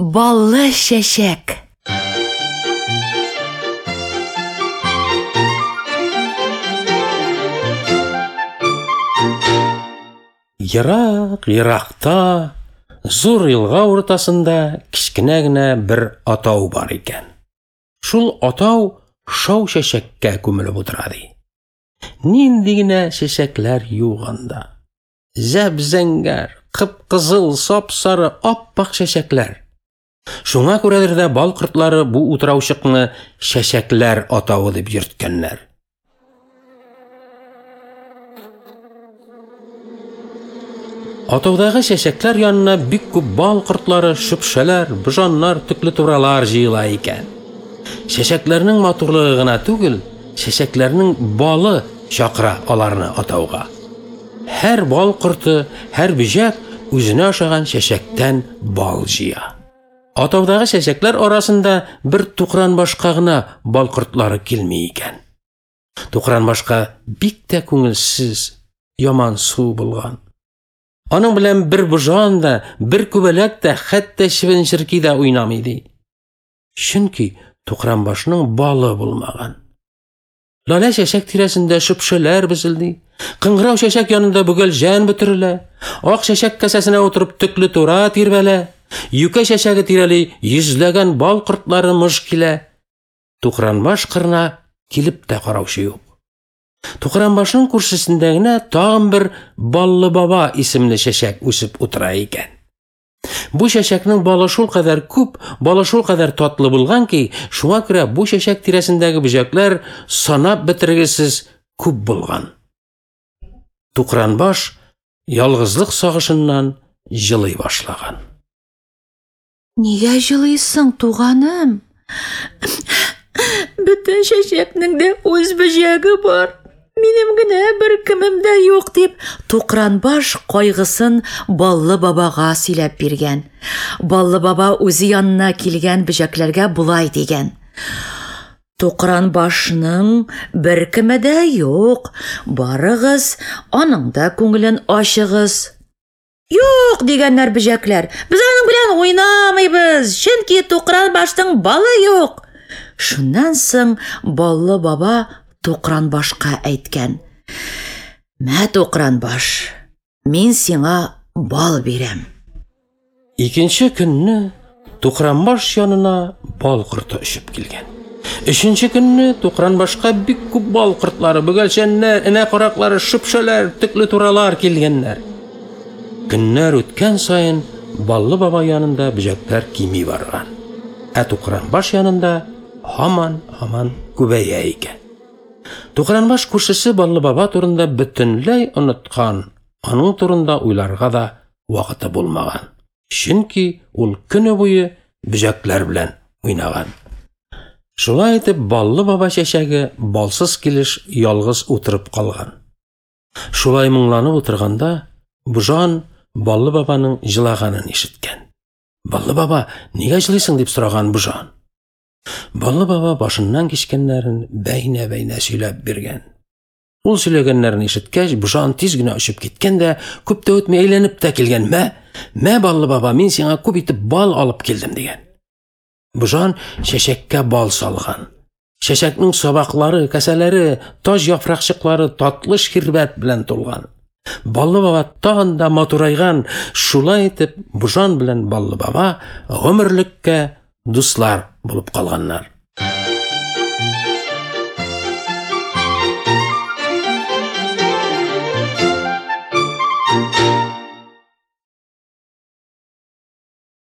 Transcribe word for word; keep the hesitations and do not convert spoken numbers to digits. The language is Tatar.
Баллы чәчәк. Ерак, еракта, зур елга уртасында кечкенә генә бер атау бар икән. Шул атау шау чәчәккә күмелеп утыра ди. Нинди генә чәчәкләр юк анда. Зәп-зәңгәр, кып-кызыл, сап-сары, ап-ак чәчәкләр. Шуңа күрәдер дә бал кортлары бу утраучыкны чәчәкләр атавы дип йөрткәннәр. Атаудагы чәчәкләр янына бик күп бал кортлары, шөпшәләр, божаннар, төклетуралар җыела икән. Чәчәкләрнең матурлыгы гына түгел, чәчәкләрнең балы чакыра аларны атауга. Һәр бал корты, һәр бөҗәк үзенә ошаган чәчәктән бал җыя. Атаудагы чәчәкләр арасында бер тукранбашка гына бал кортлары килми икән. Тукранбашка бик тә күңелсез, ямансу булган. Аның белән бер божан да, бер күбәләк тә, хәтта чебен-черки дә уйнамый ди. Чөнки тукранбашның балы булмаган. Лалә чәчәк тирәсендә шөпшәләр безелди. Кыңгырау чәчәк янында бөгелҗән бөтерелә. Ак чәчәк касәсенә утырып төклетура тирбәлә. Юкә чәчәге тирәли йөзләгән бал кортлары мыж килә. Тукранбаш кырына килеп тә караучы юк. Тукранбашның күршесендә генә тагын бер Баллы баба исемле чәчәк үсеп утыра икән. Бу чәчәкнең балы шулкадәр күп, балы шулкадәр татлы булган ки, шуңа күрә бу чәчәк тирәсендәге бөҗәкләр санап бетергесез күп булган. Тукранбаш ялгызлык сагышыннан җылый башлаган. Нигә җылыйсың, туганым? Бөтен чәчәкнең дә үз бөҗәге бар. Минем генә бер кемем дә юк, дип Тукранбаш кайгысын Баллы бабага сөйләп биргән. Баллы баба үзе янына килгән бөҗәкләргә болай дигән: Тукранбашның бер кеме дә юк. Барыгыз, аның да күңелен ачыгыз. Юк, дигәннәр бөҗәкләр. Без аның белән уйнамыйбыз, чөнки Тукранбашның балы юк. Шуннан соң Баллы баба Тукранбашка әйткән: Мә, Тукранбаш, мин сиңа бал бирәм. Икенче көнне Тукранбаш янына бал корты очып килгән. Өченче көнне Тукранбашка бик күп бал кортлары, бөгелчәннәр, энә караклары, шөпшәләр, төклетуралар килгәннәр. Көннәр үткән саен Баллы баба янында бөҗәкләр кими барган. Ә Тукранбаш янында һаман-һаман күбәя икән. Тукранбаш күршесе Баллы баба турында бөтенләй оныткан, аның турында уйларга да вакыты булмаган. Чөнки ул көне буе бөҗәкләр белән уйнаган. Шулай итеп Баллы баба чәчәге балсыз килеш ялгыз утырып калган. Шулай моңланып утырганда Божан Баллы бабаның җылаганын ишеткән. Баллы баба, нигә җылыйсың, дип сораган Божан. Баллы баба башыннан кичкәннәрен бәйнә-бәйнә сөйләп биргән. Ул сөйләгәннәрен ишеткәч, Божан тиз генә очып киткән дә, күп тә үтми әйләнеп тә килгән. Мә, мә, Баллы баба, мин сиңа күп итеп бал алып килдем, дигән. Божан чәчәккә бал салган. Чәчәкнең сабаклары, кәсәләре, таҗ яфракчыклары татлы ширбәт белән тулган. Баллы баба тагын да матурайган. Шулай итеп Божан белән Баллы баба гомерлеккә дуслар булып калганнар.